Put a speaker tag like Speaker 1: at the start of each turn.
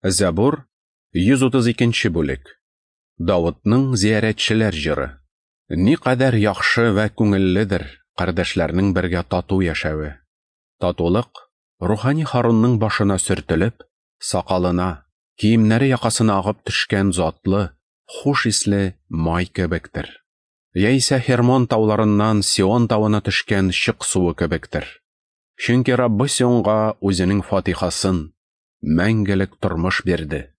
Speaker 1: Зәбур, 132 бүлек. Давытның зиярәтчеләр җыры. Никадәр яхшы вә күңелледер кардәшләрнең бергә тату яшәве. Татулык, рухани Харунның башына сөртелеп, сакалына, киемнәре якасына агып төшкән затлы, хуш исле май кебектер. Яисә Хермон тауларыннан Сион тавына төшкән чык суы кебектер. Чөнки Раббы Сионга үзенең фатихасын, мәңгелек тормыш бирде.